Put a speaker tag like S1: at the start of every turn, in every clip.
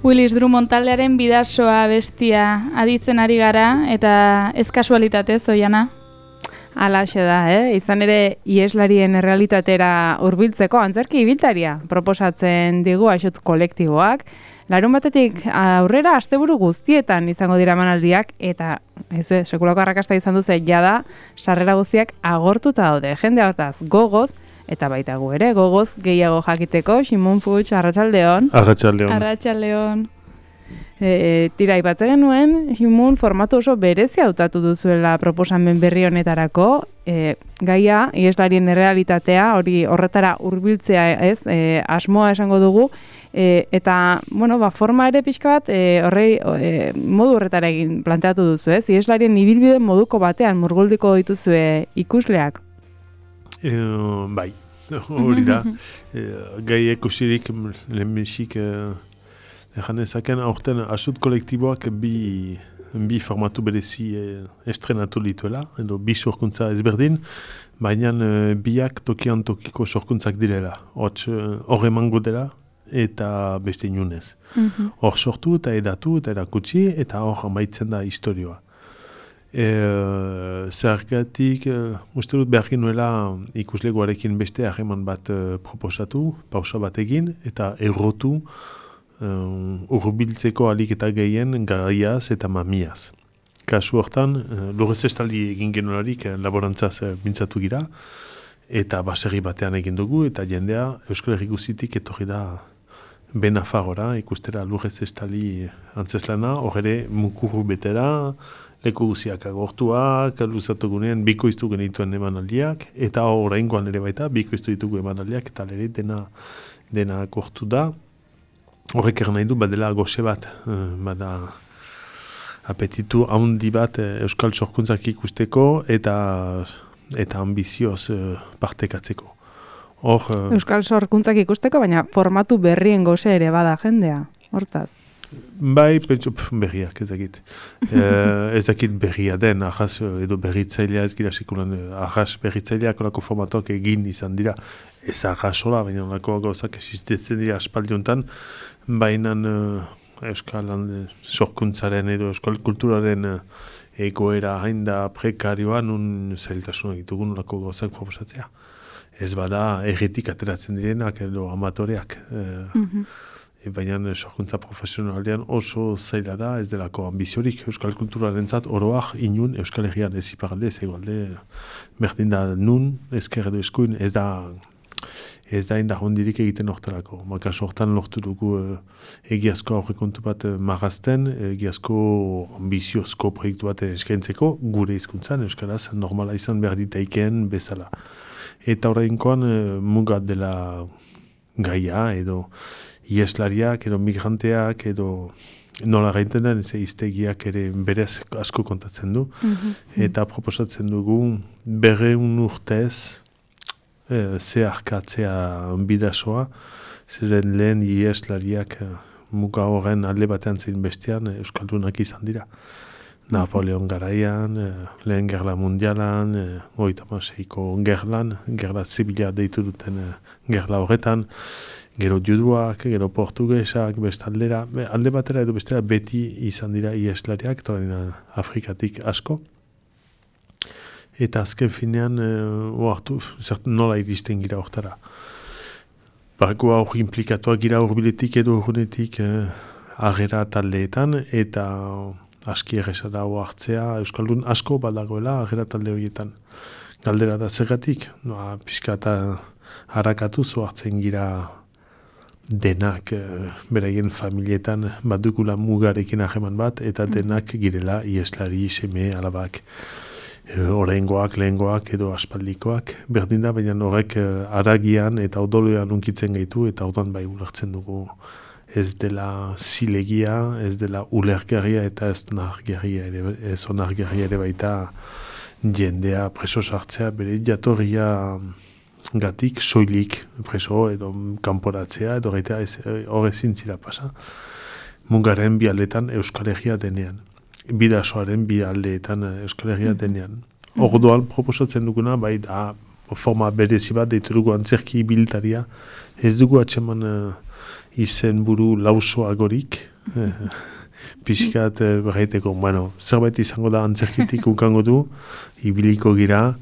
S1: Willis Drummond taldearen bidasoa bestia aditzen ari gara, eta ez kasualitatez, Oiana?
S2: Alaxe da, izan ere iheslarien errealitatera hurbiltzeko antzerki ibiltaria proposatzen digu Aixot kolektiboak. Larunbatetik aurrera asteburu guztietan izango dira emanaldiak eta sekulako arrakasta izan duze jada sarrera guztiak agortuta daude. Jende hortaz gogoz eta baita gu ere gogoz gehiago jakiteko. Ximon Puig, arratsaldeon.
S3: Arratsaldeon.
S1: Arratsaldeon.
S2: Tira aipatzen genuen, Ximon formatu oso berezia hautatu duzuela proposamen berri honetarako. Gaia, iheslarien errealitatea, hori horretara hurbiltzea ez, asmoa esango dugu, eta, bueno, forma ere pixka bat, modu horretara egin planteatu duzu, ez? Iheslarien ibilbide moduko batean murguldiko dituzue ikusleak?
S3: Bai, hori da. Gai ikusirik lehenbizik egan ezaken, aurten Aixot kolektiboak bi formatu berezi estrenatu dituela, edo bi sorkuntza ezberdin, baina biak tokian tokiko sorkuntzak direla. Hor emango dela eta beste inunez. Hor sortu eta edatu eta erakutsi eta hor amaitzen da historioa. Zergatik, uste dut behar nuela ikuslegoarekin beste harreman bat proposatu, pausa bat egin eta errotu urbiltzeko alik eta gehien gaiaz eta mamiaz. Kasu hortan, lurrez estaldi egin genularik laborantzaz mintzatu gira, eta baserri batean egin dugu, eta jendea Euskal Herri guzitik etorri da Benafagora, ikustera lurrez estaldi antzeslana, hor ere mukuru betera, leku guziak agortuak, luzatugunean bikoiztu genituen emanaldiak, eta oraingoan ere baita, bikoiztu ditugu emanaldiak, eta ere dena agortu da. Horrek nahi du, badela goxe bat, bada apetitu handi bat Euskal sorkuntzak ikusteko eta ambizioz partekatzeko.
S2: Euskal sorkuntzak ikusteko, baina formatu berrien goxe ere bada jendea, hortaz?
S3: Bai, pentsu berriak ezakit. Ezakit berria den, ahaz edo berritzailea ez gira sekulan, ahaz berritzaileak olako formatuak egin izan dira. Ez ahazola, baina olako gauzak existitzen dira aspaldiontan, baina Euskal sorkuntzaren edo Euskal kulturaren egoera hain da prekarioa nun zailtasuna ditugun olako gauzak proposatzea. Ez bada erretik ateratzen direnak edo amatoreak. Baina sorkuntza profesionalean oso zaila da, ez delako ambiziorik Euskal kulturarentzat oroak inun Euskal Herrian ez iparalde, ez egualde, berdin da nun, ezker edo eskuin, ez da indar hondirik egiten hortelako. Kasu hortan lortu dugu egiazko aurrekontu bat marrazten, egiazko ambiziozko proiektu bat eskaintzeko, gure hizkuntzan Euskaraz normala izan behar ditaikeen bezala. Eta orainkoan mugat dela gaia edo ieslariak edo migranteak edo nola gaiten den iztegiak ere berez asko kontatzen du. Eta proposatzen dugu 200 urtez zeharkatzea bidasoa, ziren lehen ieslariak muga horren alde batean zein bestean euskaldunak izan dira. Napoleon garaian, lehen gerla mundialan, 36ko gerlan, gerla zibila deitu duten gerla horretan, gero juduak, gero portugesak, bestaldera, alde batera edo bestera beti izan dira ieslariak, Afrikatik asko. Eta azken finean, nola iristen gira hortara. Barko hor implikatuak gira horbiletik edo horrenetik agera taldeetan, eta aski errezara hartzea, Euskaldun asko badagoela agera talde horietan. Galdera da zergatik, pixka eta harakatu hartzen gira denak beraien familietan badukula mugarekin aheman bat, eta denak girela ieslari, seme, alabak, oraingoak, lehengoak edo aspaldikoak. Berdin da, baina horrek haragian eta odoloean unkitzen gaitu, eta orduan bai ulertzen dugu ez dela zilegia, ez dela ulergarria eta ez onargarria ere baita jendea preso sartzea, bere jatorria gatik soilik preso edo kanporatzea edo gaita hor ezin zira pasa. Mugaren bi aldeetan Euskal Herria denean. Bidasoaren bi aldeetan Euskal Herria denean. Orduan proposatzen duguna, bai da forma berezi bat deitu dugu antzerki ibiltaria. Ez dugu atxeman izen buru lausoagorik, pixkat berraiteko, bueno, zerbait izango da antzerkitik ukango du, ibiliko gira,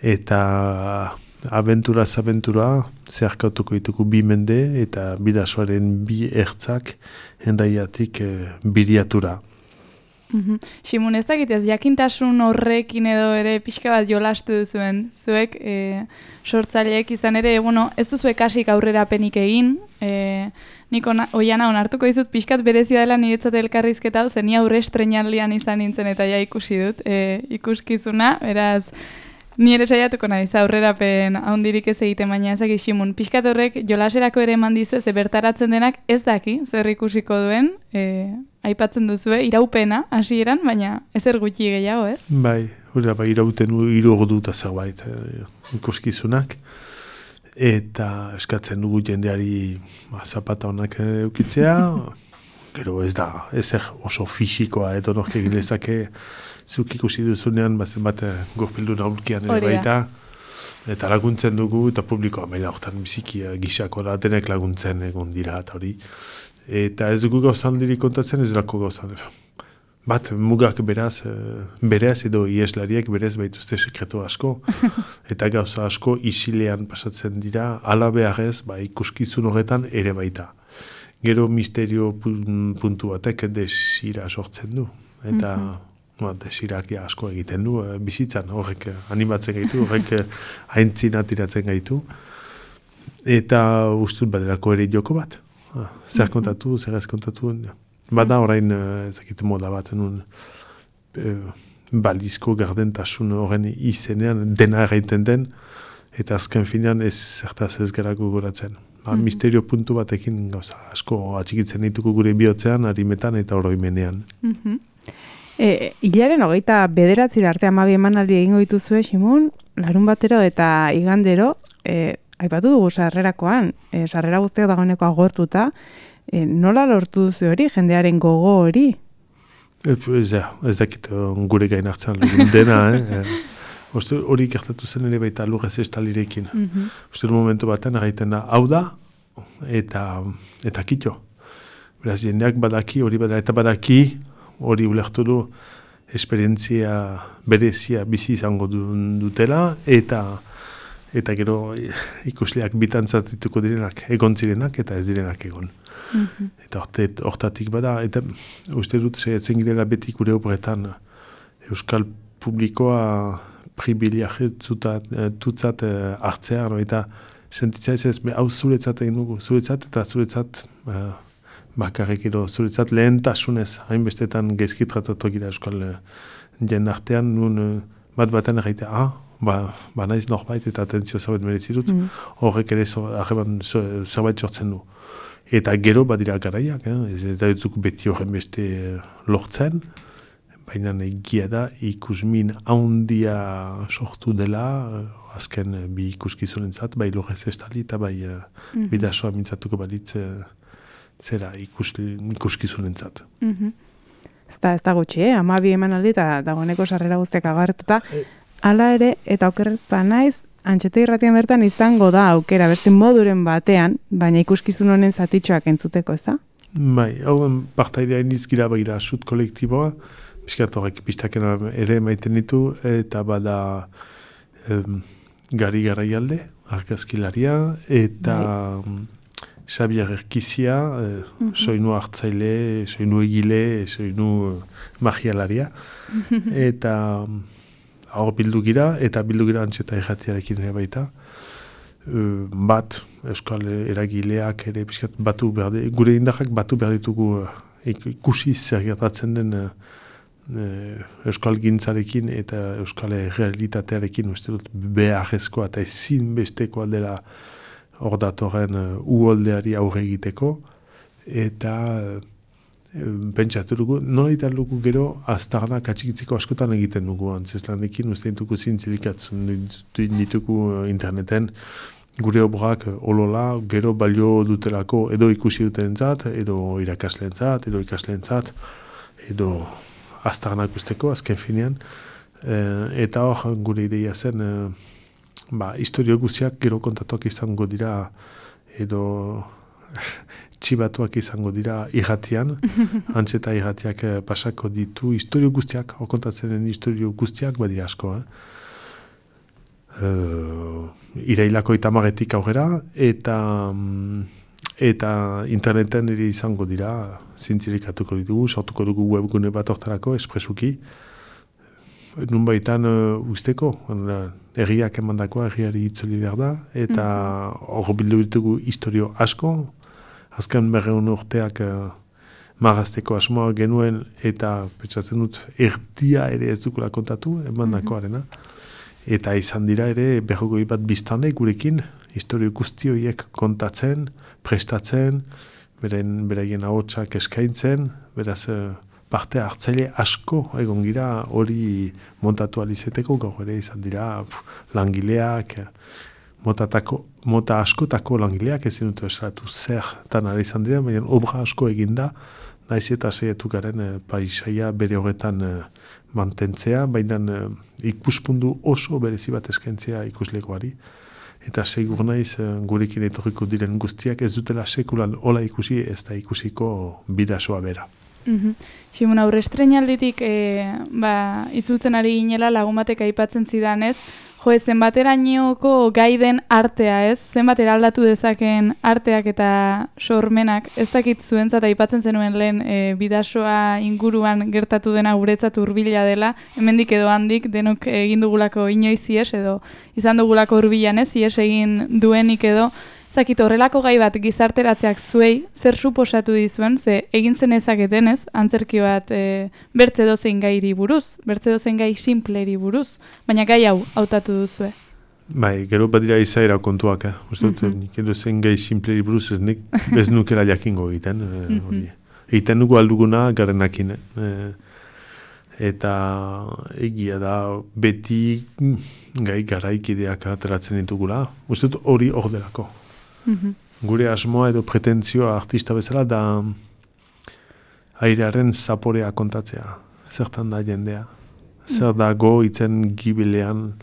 S3: eta abenturaz abentura, zeharkautuko ditugu 2 mende, eta bidasoaren 2 ertzak hendaiatik biriatura.
S1: Simun, ez dakitez, jakintasun horrekin edo ere pixka bat jolastu duzuen. Zuek, sortzaileek izan ere, bueno, ez duzuek kasik aurrerapenik egin, nik oiana onartuko dizut pixkat berezia dela niretzat elkarrizketa hau, zen ni aurre estrenaldian izan nintzen eta ja ikusi dut ikuskizuna, beraz, ni ere saiatuko naiz aurrerapen handirik ez egiten, baina ezakit Simun, pixkat horrek jolaserako ere eman dizu, ze bertaratzen denak ez daki zer ikusiko duen, aipatzen duzue, iraupena hasieran, baina ezer gutxi gehiago, ez?
S3: Bai, hori bai, irauten 3 ordu zerbait ikuskizunak, eta eskatzen dugu jendeari zapata honak eukitzea, gero ez da, ezer oso fisikoa, edo nork egin lezake, zuk ikusi duzunean, bat gorpildu naulkian ere baita, eta laguntzen dugu, eta publikoa maila horretan biziki gisako da, denek laguntzen egon dira, eta hori. Eta ez dugu gauzan diri kontatzen, ez durako gauzan. Bat, mugak beraz edo ieslariek berez baituzte sekretu asko, eta gauza asko isilean pasatzen dira, ala beharrez, ikuskizun horretan ere baita. Gero misterio puntu batek desira sortzen du, eta desirak asko egiten du, bizitzan horrek animatzen gaitu, horrek haintzina tiratzen gaitu, eta ustut badelako ere joko bat. Zer kontatu, zer ez kontatu. Bada orain ezakit moda bat, balizko gardentasun horren izenean dena erraiten den, eta azken finean ez zertaz ez gara gogoratzen. Misterio puntu batekin gauza asko atxikitzen dituko gure bihotzean, harimetan eta oroimenean.
S2: Hilaren 29 arte 12 emanaldi egingo dituzue, Simun, larun batero eta igandero, aipatu dugu sarrerakoan, sarrera guztiak dagoeneko agortuta, nola lortu duzu hori, jendearen gogo hori?
S3: Ez dakit gure gain hartzen dena, hori gertatu zen ere baita lurrez estalirekin. Uste momentu baten egiten da, hau da, eta kitxo. Beraz, jendeak badaki, hori bada, eta badaki, hori ulertu du, esperientzia berezia bizi izango dutela, eta gero ikusleak bitantzat dituko direnak, egon zirenak, eta ez direnak egon. Eta hortatik bada, eta uste dut, saiatzen girela beti gure obretan, euskal publikoa pribiliajetutzat hartzea, eta sentitzea ez, hau zuretzat egin dugu, zuretzat bakarrik edo zuretzat lehentasunez, hainbestetan gaizki tratatu gira euskal jen artean, nun bat baten erraitea, ba naiz norbait eta atentzio zerbait merezi dut, horrek ere zerbait sortzen du. Eta gero badira garaiak, ez da dutzuk beti horren beste lortzen, baina egia da ikusmin handia sortu dela, azken bi ikuskizunentzat, bai lorrez estali eta bai bidasoa mintzatuko balitz zera ikuskizunentzat.
S2: Ez da gutxi, 12 emanaldi eta dagoeneko sarrera guztiak agartuta. Hala ere, eta okerrez naiz, Antxete Irratian bertan izango da aukera, beste moduren batean, baina ikuskizun honen zatitxoak entzuteko, ez da?
S3: Bai, hauen partaidea inizgira bagira sut kolektiboa, biskat horrek pistakena ere maiten ditu, eta bada Gari Garaialde, argazkilaria, eta Xabier Erkizia, soinu hartzaile, soinu egile, soinu magialaria, eta hor bildu gira, eta bildu gira Antxeta Irratiarekin ere baita. Bat, euskal eragileak ere piskat batu behar, gure indarrak batu behar ditugu ikusi zer gertatzen den euskal gintzarekin eta euskal realitatearekin, uste dut beharrezkoa eta ezin bestekoa dela hor datorren uholdeari aurre egiteko, eta pentsatu dugu, nola ditan dugu gero aztarnak atxikitzeko askotan egiten dugu antzeslanekin, uste ditugu zintzilikatzen ditugu interneten, gure obrak olola, gero balio dutelako edo ikusi dutenentzat, edo irakasleentzat, edo ikasleentzat, edo aztarnak usteko, azken finean, eta hor gure ideia zen, historio guziak gero kontatuak izango dira, edo txibatuak izango dira irratian, antzeta irratiak pasako ditu historio guztiak, okontatzen den historio guztiak, badira asko, irailako 30etik aurrera, eta interneten ere izango dira, zintzilikatuko ditugu, sortuko dugu webgune bat hortarako, espresuki, nunbaitan usteko, herriak emandakoa, herriari itzuli behar da, eta hor bildu ditugu historio asko, azken 200 urteak magazteko asmoa genuen, eta pentsatzen dut erdia ere ez dukula kontatu, emandakoarena, eta izan dira ere 20 bat biztanle gurekin, historio guzti horiek kontatzen, prestatzen, beraien ahotsak eskaintzen, beraz parte hartzaile asko egon gira hori montatu alizeteko, gaur ere izan dira langileak, mota askotako langileak ezin dut esalatu zertan ari izan dira, baina obra asko eginda, naiz eta saiatu garen paisaia bere horretan mantentzea, baina ikuspundu oso berezi bat eskaintzea ikuslegoari. Eta segur naiz gurekin etorriko diren guztiak ez dutela sekulan hola ikusi, ez da ikusiko bidasoa bera.
S1: Simon, aurre estreinalditik itzultzen ari ginela lagun batek aipatzen zidanez, zenbaterainoko gai den artea, ez? Zenbat eraldatu dezaken arteak eta sormenak, ez dakit zuentzat aipatzen zenuen lehen bidasoa inguruan gertatu dena guretzat hurbila dela, hemendik edo handik denok egin dugulako inoiz ies edo izan dugulako hurbilan, ez? Ies egin duenik edo zakit horrelako gai bat gizarteratzeak zuei zer suposatu dizuen, ze egin zen ezaketen ez, antzerki bat bertze dozein gairi buruz, bertze dozein gai simpleri buruz, baina gai hau hautatu duzue.
S3: Bai, gero badira izaera kontuak, nik edozein gai simpleri buruz ez nukela jakingo egiten, egiten dugu alduguna garenakin, eta egia da beti gai garaikideak ateratzen ditugula, hori hor delako. Gure asmoa edo pretentzioa artista bezala da airearen zaporea kontatzea. Zertan da jendea. Zer dago itzen gibilean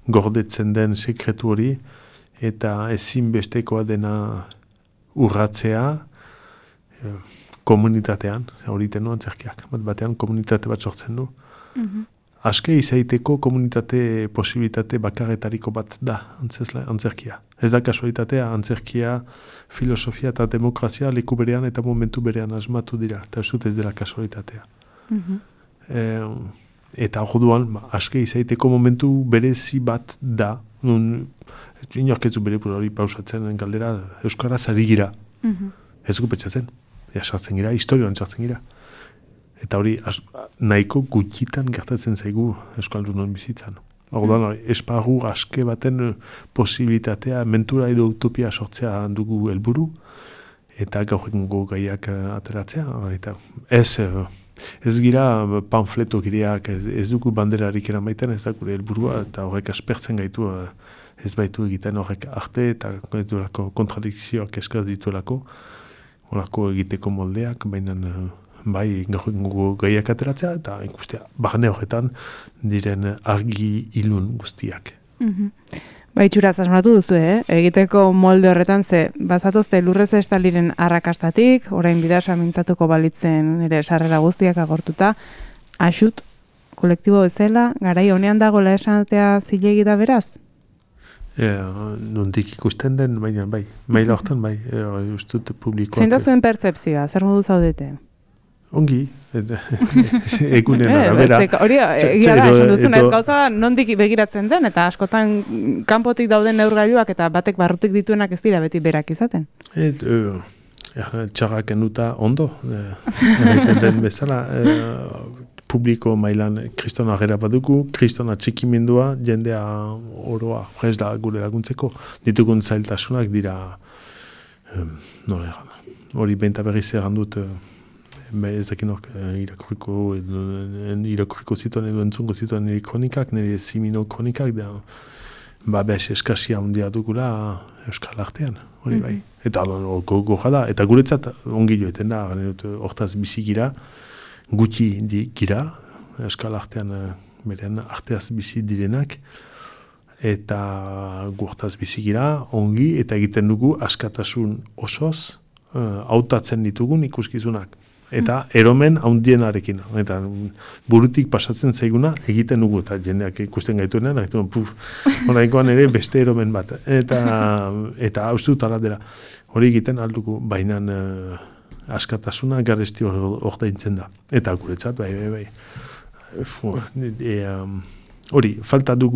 S3: gordetzen den sekretu hori eta ezinbestekoa dena urratzea komunitatean. Hori tenu antzerkiak. Batean komunitate bat sortzen du. Aske izaiteko komunitate posibilitate bakarretariko bat da antzerkia. Ez da kasualitatea, antzerkia, filosofia eta demokrazia leku berean eta momentu berean asmatu dira, eta ez dela kasualitatea. Eta orduan, aske izaiteko momentu berezi bat da, inork ez du bere hori pausatzen galdera, euskaraz ari gira. Ez dugu petxatzen, sartzen gira, historioan sartzen gira. Eta hori nahiko gutxitan gertatzen zaigu euskaldunon bizitzan. Orduan, esparru aske baten posibilitatea, mentura edo utopia sortzea dugu helburu, eta gaur egungo gaiak ateratzea. Eta ez gira panfleto gireak, ez dugu banderarik eramaiten, ez da gure helburua, eta horrek aspertzen gaitu ez baitu egiten horrek arte, eta ez duelako kontradikzioak eskaz dituelako, horako egiteko moldeak, baina bai gaur gaiak ateratzea eta ikustea barne horretan diren argi ilun guztiak.
S2: Ba, itxuraz asmatu duzu, egiteko molde horretan ze bazatozte lurrez estaliren arrakastatik, orain bidasoa mintzatuko balitzen ere sarrera guztiak agortuta, axut kolektibo bezala, garai honean dagoela esatea zilegi da beraz?
S3: Nondik ikusten den, baina bai, maila horretan bai, ustut publikoak.
S2: Zein da zuen pertzepzioa, zer modu zaudete?
S3: Ongi, egunen arabera.
S2: Hori, egia da, esan duzuna, ez gauza nondik begiratzen den, eta askotan kanpotik dauden neurgailuak eta batek barrutik dituenak ez dira beti berak izaten.
S3: Txarrak enduta ondo, egiten den bezala, publiko mailan kriston agera badugu, kriston atxikimendua, jendea oroa prez da gure laguntzeko, ditugun zailtasunak dira, hori benta berriz errandut, ez dakin hor irakurriko zituen edo entzungo zituen nire kronikak, nire zimino kronikak, da bez eskasia handia dugula euskal artean, hori bai. Eta goja da, eta guretzat ongi joeten da, hortaz bizi gira, gutxi gira, euskal artean beren arteaz bizi direnak, eta gurtaz bizi gira, ongi, eta egiten dugu askatasun osoz, hautatzen ditugun ikuskizunak. Eta eromen handienarekin. Eta burutik pasatzen zaiguna egiten dugu. Eta jendeak ikusten gaituenean, oraingoan ere beste eromen bat. Eta haustu tala dela. Hori egiten aldugu, baina askatasuna garesti ordaintzen da. Eta guretzat, bai. Hori, falta da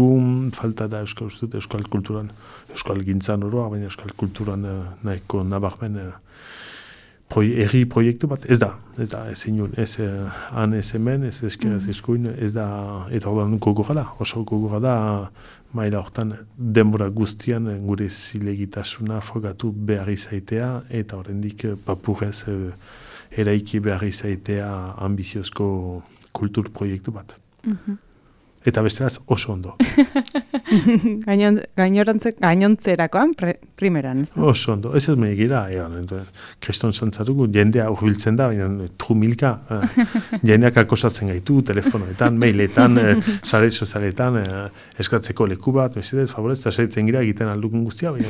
S3: euskal kulturan, euskal gintzan oroa, baina euskal kulturan nahiko nabarmen erri proiektu bat, ez da, ez inun, ez han ez hemen, ez eskeraz eskuin, ez da, eta ordan gogorra da, oso gogorra da, maila hortan denbora guztian gure zilegitasuna frogatu behar izaitea, eta horrendik papurrez eraiki behar izaitea ambiziozko kultur proiektu bat. Eta besteraz oso ondo.
S2: Gainontzerakoan, primeran.
S3: Oso ondo. Ez megira, kriston santzatugu, jendea urbiltzen da, baina trumilka, jendeak akosatzen gaitu, telefonoetan, mailetan, sare sozialetan, eskatzeko leku bat, mesedez, favorez, eta saitzen gira egiten aldukun guztia, baina,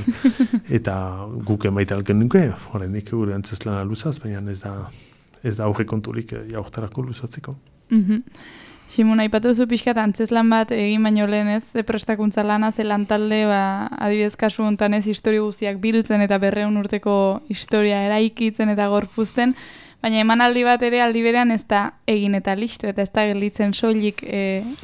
S3: eta guk emaite alken nuke, horrendik gure antzeslan luzaz, baina ez da aurrekonturik jaurtarako luzatzeko.
S1: Simon, aipatu duzu pixkat antzeslan bat egin baino lehen ez, prestakuntza lana, zelan talde, adibidez kasu honetan ez historio guztiak biltzen eta 200 urteko historia eraikitzen eta gorpuzten, baina emanaldi bat ere aldi berean ez da egin eta listo, eta ez da gelditzen soilik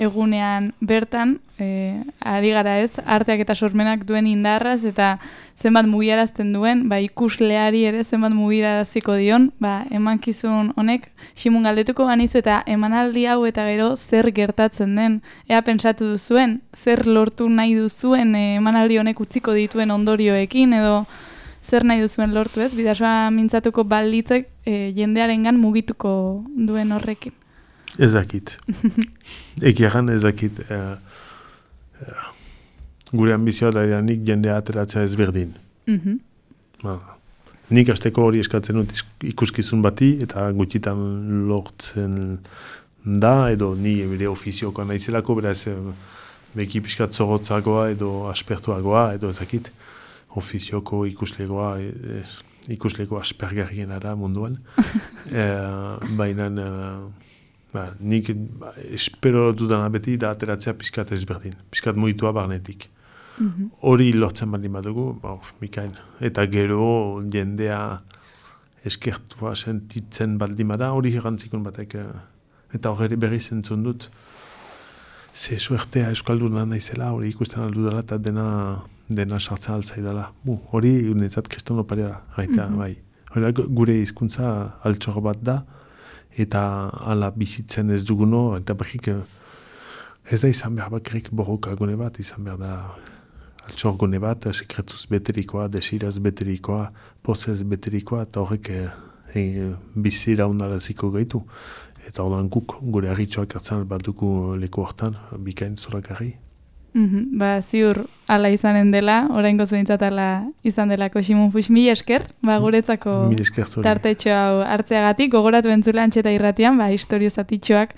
S1: egunean bertan, ari gara ez, arteak eta sormenak duen indarraz, eta zenbat mugiarazten duen, ikusleari ere zenbat mugiaraziko dion, emankizun honek, Simon galdetuko ganizu eta emanaldi hau eta gero zer gertatzen den, ea pentsatu duzuen, zer lortu nahi duzuen emanaldi honek utziko dituen ondorioekin, edo zer nahi duzuen lortu ez, bidasoa mintzatuko balitzek jendearengan mugituko duen horrekin.
S3: Ez dakit. Ekiagan ez dakit. Gure ambizioa da nik jendea ateratzea ezberdin. Nik asteko hori eskatzen dut ikuskizun bati eta gutxitan lortzen da, edo ni bere ofiziokoa naizelako, beraz beki pixkat zorotzagoa edo aspertuagoa, edo ezakit ofizioko ikusleko aspergarriena da munduan. Baina nik espero dudana beti da ateratzea pixkat ezberdin, pixkat mugitua barnetik. Hori lortzen baldin badugu, mikain. Eta gero jendea eskertua sentitzen baldin bada, hori errantzikun batek. Eta hori berri zentzun dut, ze suertea euskalduna naizela, hori ikusten aldu dela eta dena sartzen altzaidala. Hori unetzat kriston oparia gaita, bai. Hori gure hizkuntza altxor bat da, eta ala bizitzen ez duguno, eta berrik ez da izan behar bakarrik borroka gune bat, izan behar da altxor gune bat, sekretuz beterikoa, desiraz beterikoa, pozez beterikoa, eta horrek bizira unaraziko gaitu. Eta ordan guk gure harritxoak hartzen bat dugu leku hortan, bikain zorakarri.
S1: Ziur ala izanen dela, oraingo zuentzat ala izan delako Simon Fuchs, mila esker, guretzako tartetxo hau hartzeagatik, gogoratu entzule Antxeta Irratian, historio zatitxoak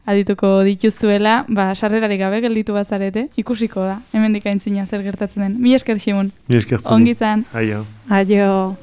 S1: adituko dituzuela, sarrerarik gabe gelditu bazarete, ikusiko da, hemendik aintzina zer gertatzen den. Mila esker, Simon.
S3: Mila esker zuri.
S1: Ongi izan.
S3: Aio.
S2: Aio.